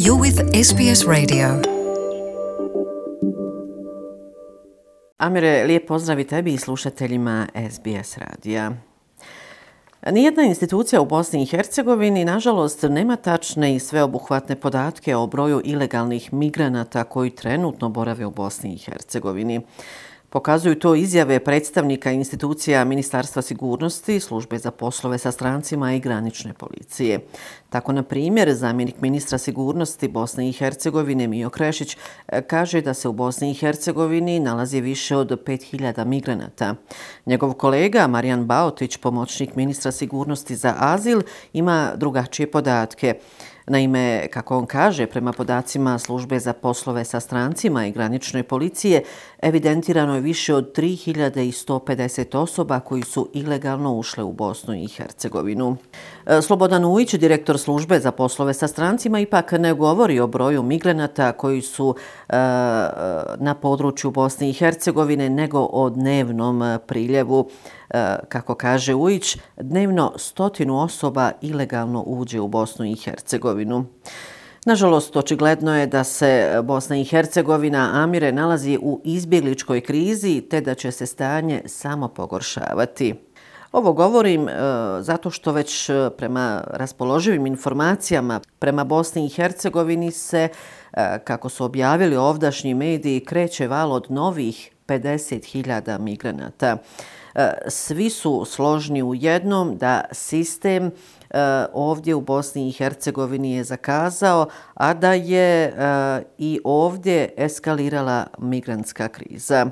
You're with SBS Radio. Amire, lijep pozdrav i tebi i slušateljima SBS radija. Nijedna institucija u Bosni i Hercegovini, nažalost, nema tačne i sveobuhvatne podatke o broju ilegalnih migranata koji trenutno borave u Bosni i Hercegovini. Pokazuju to izjave predstavnika institucija Ministarstva sigurnosti, Službe za poslove sa strancima i granične policije. Tako, na primjer, zamjenik ministra sigurnosti Bosne i Hercegovine Mijo Krešić kaže da se u Bosni i Hercegovini nalazi više od 5000 migranata. Njegov kolega Marijan Baotić, pomoćnik ministra sigurnosti za azil, ima drugačije podatke. Naime, kako on kaže, prema podacima Službe za poslove sa strancima i granične policije, evidentirano je više od 3150 osoba koji su ilegalno ušle u Bosnu i Hercegovinu. Slobodan Ujić, direktor Službe za poslove sa strancima, ipak ne govori o broju migranata koji su na području Bosne i Hercegovine, nego o dnevnom priljevu. Kako kaže Ujić, dnevno 100 osoba ilegalno uđe u Bosnu i Hercegovinu. Nažalost, očigledno je da se Bosna i Hercegovina, Amire, nalazi u izbjegličkoj krizi te da će se stanje samo pogoršavati. Ovo govorim zato što već prema raspoloživim informacijama prema Bosni i Hercegovini se, kako su objavili ovdašnji mediji, kreće val od novih 50.000 migranata. Svi su složni u jednom da sistem ovdje u Bosni i Hercegovini je zakazao, a da je i ovdje eskalirala migrantska kriza.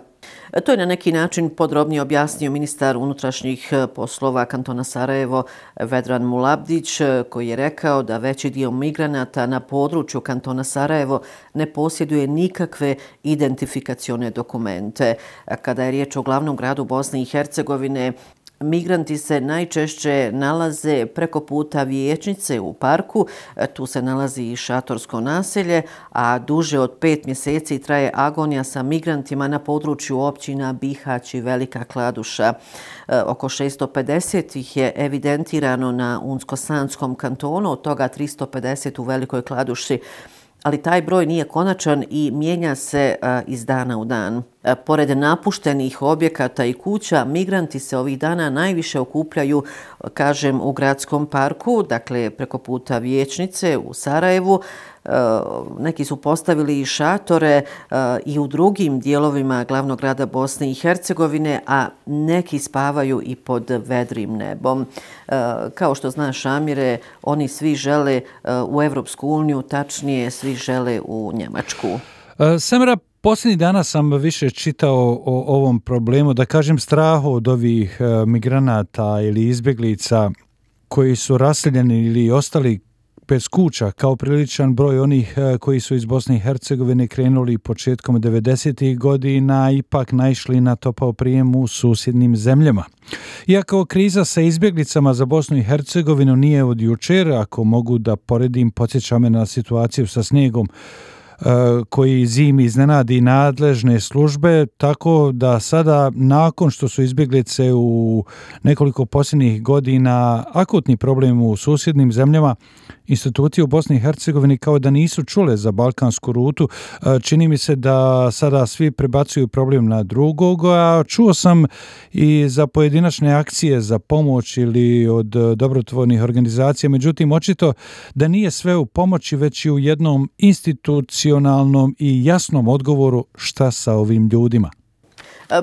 To je na neki način podrobnije objasnio ministar unutrašnjih poslova kantona Sarajevo Vedran Mulabdić, koji je rekao da veći dio migranata na području kantona Sarajevo ne posjeduje nikakve identifikacione dokumente. Kada je riječ o glavnom gradu Bosne i Hercegovine, migranti se najčešće nalaze preko puta Vijećnice u parku, tu se nalazi i šatorsko naselje, a duže od 5 mjeseci traje agonija sa migrantima na području općina Bihać i Velika Kladuša. Oko 650 ih je evidentirano na Unsko-Sanskom kantonu, od toga 350 u Velikoj Kladuši. Ali taj broj nije konačan i mijenja se iz dana u dan. Pored napuštenih objekata i kuća, migranti se ovih dana najviše okupljaju, kažem, u gradskom parku, dakle preko puta Vijećnice u Sarajevu. Neki su postavili i šatore i u drugim dijelovima glavnog grada Bosne i Hercegovine, a neki spavaju i pod vedrim nebom. Kao što znaš, Amire, oni svi žele u Evropsku uniju, tačnije svi žele u Njemačku. Samira, posljednjih dana sam više čitao o ovom problemu, da kažem strahu od ovih migranata ili izbjeglica koji su raseljeni ili ostali bez kuća, kao priličan broj onih koji su iz Bosne i Hercegovine krenuli početkom 90. godina, ipak naišli na topao prijem u susjednim zemljama. Iako kriza sa izbjeglicama za Bosnu i Hercegovinu nije od jučer, ako mogu da poredim, podsjeća me na situaciju sa snijegom koji zimi iznenadi nadležne službe, tako da sada, nakon što su izbjeglice u nekoliko posljednjih godina akutni problem u susjednim zemljama, institucije u Bosni i Hercegovini kao da nisu čule za balkansku rutu. Čini mi se da sada svi prebacuju problem na drugog, a čuo sam i za pojedinačne akcije za pomoć ili od dobrotvornih organizacija, međutim očito da nije sve u pomoći, već i u jednom institucionalnom i jasnom odgovoru šta sa ovim ljudima.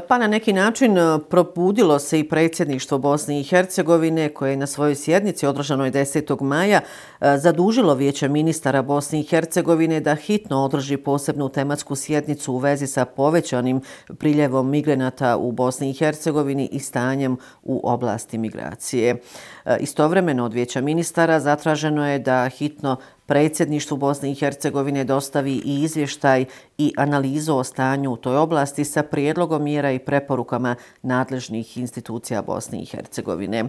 Pa na neki način probudilo se i predsjedništvo Bosne i Hercegovine, koje je na svojoj sjednici održanoj 10. maja zadužilo Vijeće ministara Bosne i Hercegovine da hitno održi posebnu tematsku sjednicu u vezi sa povećanim priljevom migranata u Bosni i Hercegovini i stanjem u oblasti migracije. Istovremeno od Vijeća ministara zatraženo je da hitno predsjedništvu Bosne i Hercegovine dostavi i izvještaj i analizu o stanju u toj oblasti sa prijedlogom mjera i preporukama nadležnih institucija Bosne i Hercegovine.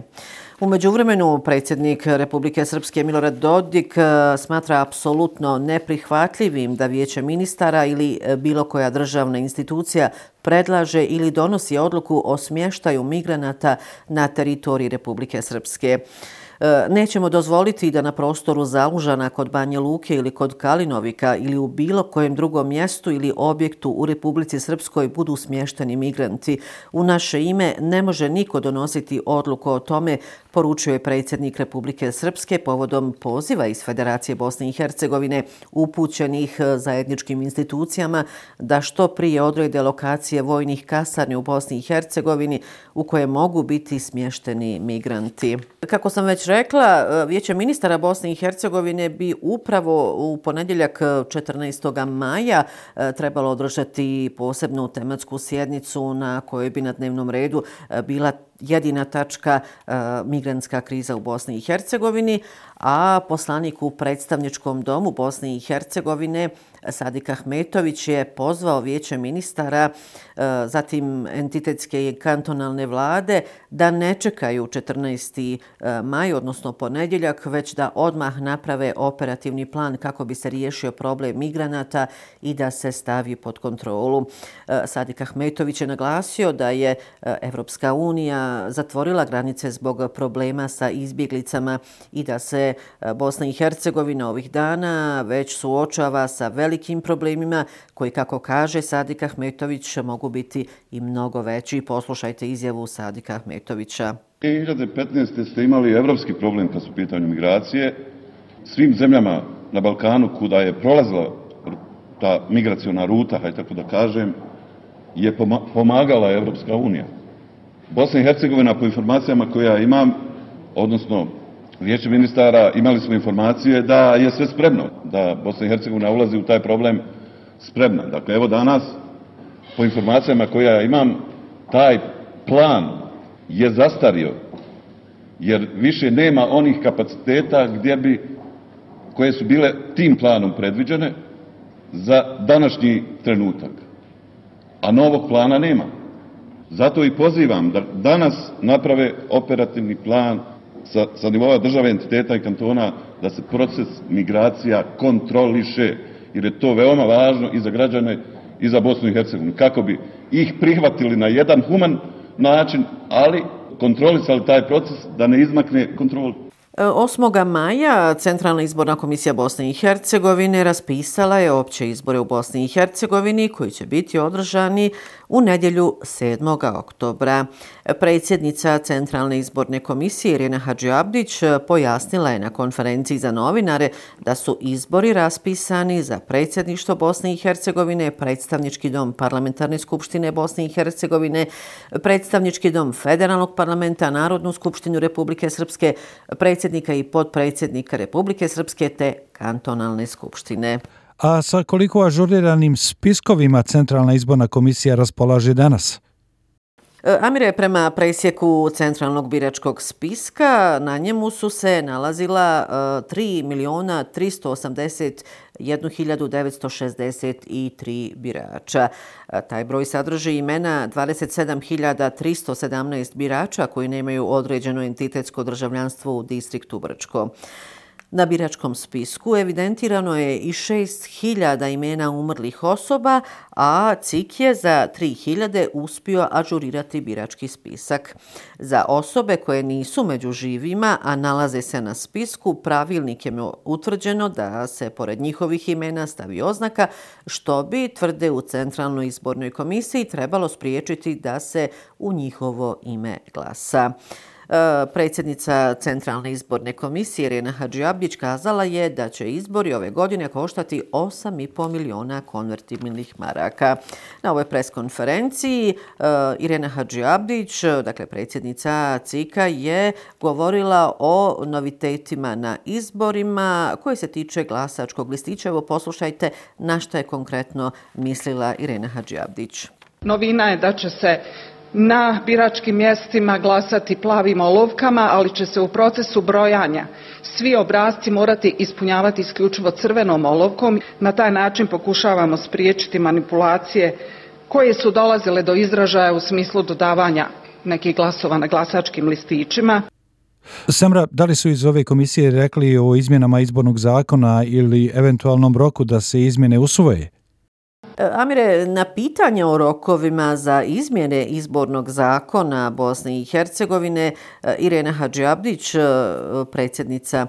U međuvremenu predsjednik Republike Srpske Milorad Dodik smatra apsolutno neprihvatljivim da Vijeće ministara ili bilo koja državna institucija predlaže ili donosi odluku o smještaju migranata na teritoriji Republike Srpske. Nećemo dozvoliti da na prostoru Zalužana kod Banje Luke ili kod Kalinovika ili u bilo kojem drugom mjestu ili objektu u Republici Srpskoj budu smješteni migranti. U naše ime ne može niko donositi odluku o tome, poručio je predsjednik Republike Srpske povodom poziva iz Federacije Bosne i Hercegovine upućenih zajedničkim institucijama da što prije odrede lokacije vojnih kasarni u Bosni i Hercegovini u koje mogu biti smješteni migranti. Kako sam već rekla, Vijeće ministara Bosne i Hercegovine bi upravo u ponedjeljak 14. maja trebalo održati posebnu tematsku sjednicu na kojoj bi na dnevnom redu bila jedina tačka migrantska kriza u Bosni i Hercegovini, a poslanik u predstavničkom domu Bosne i Hercegovine Sadik Ahmetović je pozvao Vijeće ministara, zatim entitetske i kantonalne vlade da ne čekaju 14. maj, odnosno ponedjeljak, već da odmah naprave operativni plan kako bi se riješio problem migranata i da se stavi pod kontrolu. Sadik Ahmetović je naglasio da je Evropska unija zatvorila granice zbog problema sa izbjeglicama i da se Bosna i Hercegovina ovih dana već suočava sa velikim problemima koji, kako kaže Sadik Ahmetović, mogu biti i mnogo veći. Poslušajte izjavu Sadika Ahmetovića. 2015. ste imali evropski problem kad su u pitanju migracije. Svim zemljama na Balkanu kuda je prolazila ta migraciona ruta, hajde tako da kažem, je pomagala Evropska unija. Bosna i Hercegovina, po informacijama koje ja imam, odnosno Vijeće ministara, imali smo informacije da je sve spremno, da Bosna i Hercegovina ulazi u taj problem spremna. Dakle, evo danas, po informacijama koje ja imam, taj plan je zastario, jer više nema onih kapaciteta koje su bile tim planom predviđene za današnji trenutak. A novog plana nema. Zato i pozivam da danas naprave operativni plan sa nivoa države, entiteta i kantona, da se proces migracija kontroliše, jer je to veoma važno i za građane i za Bosnu i Hercegovinu, kako bi ih prihvatili na jedan human način, ali kontrolisali taj proces da ne izmakne kontroli. 8. maja Centralna izborna komisija Bosne i Hercegovine raspisala je opće izbore u Bosni i Hercegovini koji će biti održani u nedjelju 7. oktobra. Predsjednica Centralne izborne komisije Irena Hadžiabdić pojasnila je na konferenciji za novinare da su izbori raspisani za predsjedništvo Bosne i Hercegovine, predstavnički dom Parlamentarne skupštine Bosne i Hercegovine, predstavnički dom Federalnog parlamenta, Narodnu skupštinu Republike Srpske, predsjednika i potpredsjednika Republike Srpske te kantonalne skupštine. A sa koliko ažuriranim spiskovima Centralna izborna komisija raspolaže danas? Amire, prema presjeku Centralnog biračkog spiska, na njemu su se nalazila 3.381.963 birača. Taj broj sadrži imena 27.317 birača koji nemaju određeno entitetsko državljanstvo u distriktu Brčko. Na biračkom spisku evidentirano je i 6.000 imena umrlih osoba, a CIK je za 3.000 uspio ažurirati birački spisak. Za osobe koje nisu među živima, a nalaze se na spisku, pravilnikem je utvrđeno da se pored njihovih imena stavi oznaka, što bi, tvrde u Centralnoj izbornoj komisiji, trebalo spriječiti da se u njihovo ime glasa. Predsjednica Centralne izborne komisije Irena Hadžiabdić kazala je da će izbori ove godine koštati 8,5 miliona konvertibilnih maraka. Na ovoj preskonferenciji Irena Hadžiabdić, dakle predsjednica CIK-a, je govorila o novitetima na izborima koji se tiče glasačkog listića. Evo poslušajte na što je konkretno mislila Irena Hadžiabdić. Novina je da će se na biračkim mjestima glasati plavim olovkama, ali će se u procesu brojanja svi obrasci morati ispunjavati isključivo crvenom olovkom. Na taj način pokušavamo spriječiti manipulacije koje su dolazile do izražaja u smislu dodavanja nekih glasova na glasačkim listićima. Samra, da li su iz ove komisije rekli o izmjenama izbornog zakona ili eventualnom roku da se izmjene usvoje? Amire, na pitanje o rokovima za izmjene izbornog zakona Bosne i Hercegovine, Irena Hadžiabdić, predsjednica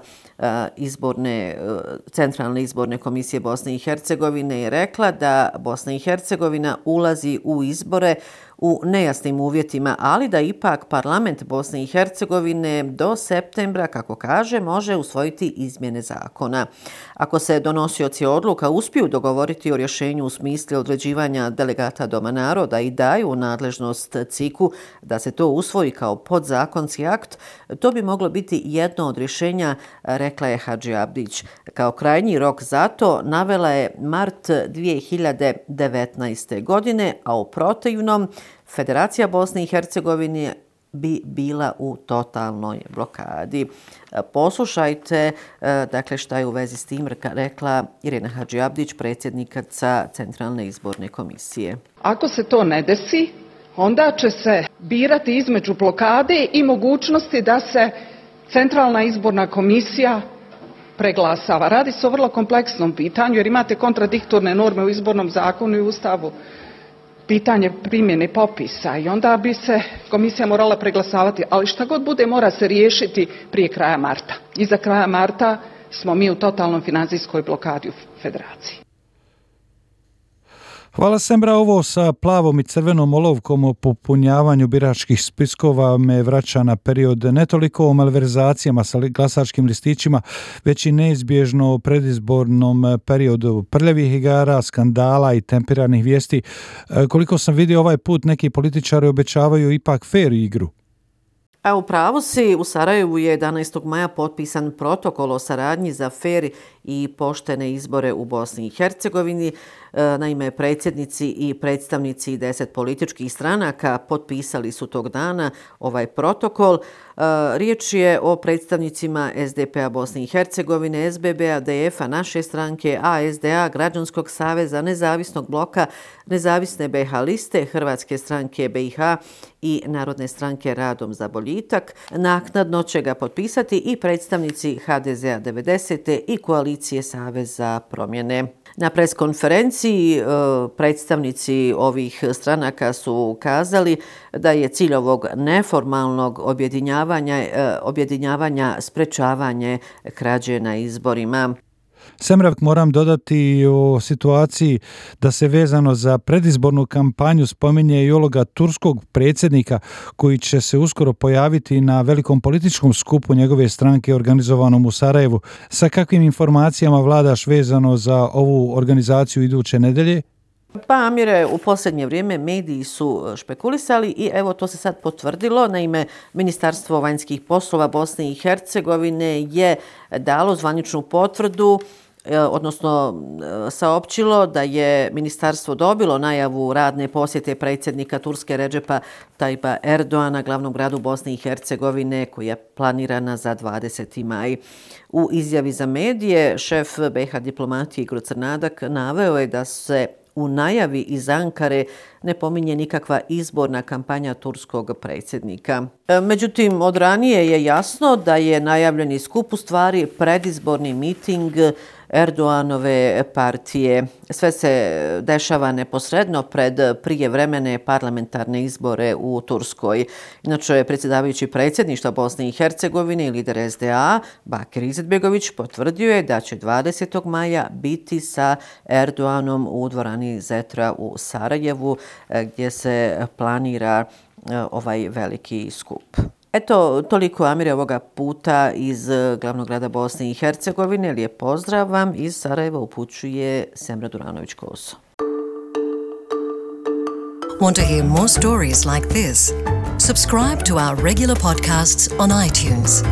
Centralne izborne komisije Bosne i Hercegovine, je rekla da Bosna i Hercegovina ulazi u izbore u nejasnim uvjetima, ali da ipak parlament Bosne i Hercegovine do septembra, kako kaže, može usvojiti izmjene zakona. Ako se donosioci odluka uspiju dogovoriti o rješenju u smislu određivanja delegata Doma naroda i daju nadležnost CIK-u da se to usvoji kao podzakonski akt, to bi moglo biti jedno od rješenja, rekla je Hadžiabdić. Kao krajnji rok za to navela je mart 2019. godine, a u protivnom Federacija Bosne i Hercegovine bi bila u totalnoj blokadi. Poslušajte, dakle, šta je u vezi s tim rekla Irena Hadžiabdić, predsjednica Centralne izborne komisije. Ako se to ne desi, onda će se birati između blokade i mogućnosti da se Centralna izborna komisija preglasava. Radi se o vrlo kompleksnom pitanju jer imate kontradiktorne norme u izbornom zakonu i Ustavu. Pitanje primjene popisa i onda bi se komisija morala preglasavati, ali šta god bude mora se riješiti prije kraja marta. Iza kraja marta smo mi u totalnom financijskoj blokadi u Federaciji. Hvala Sembra, ovo sa plavom i crvenom olovkom o popunjavanju biračkih spiskova me vraća na period ne toliko o malverzacijama sa glasačkim listićima, već i neizbježno o predizbornom periodu prljavih igara, skandala i tempiranih vijesti. Koliko sam vidio ovaj put, neki političari obećavaju ipak fer igru. A u pravu si, u Sarajevu je 11. maja potpisan protokol o saradnji za fer i poštene izbore u Bosni i Hercegovini. Naime, predsjednici i predstavnici 10 političkih stranaka potpisali su tog dana ovaj protokol. Riječ je o predstavnicima SDP-a Bosne i Hercegovine, SBB-a, DF-a, naše stranke, ASDA, Građanskog saveza, Nezavisnog bloka, Nezavisne BiH liste, Hrvatske stranke BiH i Narodne stranke Radom za boljitak. Naknadno će ga potpisati i predstavnici HDZ-a 90. i koalicije Savez za promjene. Na preskonferenciji predstavnici ovih stranaka su kazali da je cilj ovog neformalnog objedinjavanja sprečavanje krađe na izborima. Semravk, moram dodati o situaciji da se vezano za predizbornu kampanju spominje i uloga turskog predsjednika koji će se uskoro pojaviti na velikom političkom skupu njegove stranke organizovanom u Sarajevu. Sa kakvim informacijama vladaš vezano za ovu organizaciju iduće nedelje? Pa, Amire, u posljednje vrijeme mediji su špekulisali i evo to se sad potvrdilo. Naime, Ministarstvo vanjskih poslova Bosne i Hercegovine je dalo zvaničnu potvrdu, odnosno saopćilo da je ministarstvo dobilo najavu radne posjete predsjednika Turske Redžepa Tajpa Erdoana glavnom gradu Bosne i Hercegovine koja je planirana za 20. maj. U izjavi za medije šef BiH diplomatije Igor Crnadak naveo je da se u najavi iz Ankare ne pominje nikakva izborna kampanja turskog predsjednika. Međutim, od ranije je jasno da je najavljeni skup u stvari predizborni miting Erdoganove partije. Sve se dešava neposredno pred prijevremene parlamentarne izbore u Turskoj. Inače, predsjedavajući predsjedništva Bosne i Hercegovine i lider SDA Bakir Izetbegović potvrdio je da će 20. maja biti sa Erdoganom u dvorani Zetra u Sarajevu gdje se planira ovaj veliki skup. Eto, toliko, Amire, ovoga puta iz glavnog grada Bosne i Hercegovine. Lijep pozdrav vam iz Sarajeva upućuje Semra Duranović-Koso. Want to hear more stories like this? Subscribe to our regular podcasts on iTunes.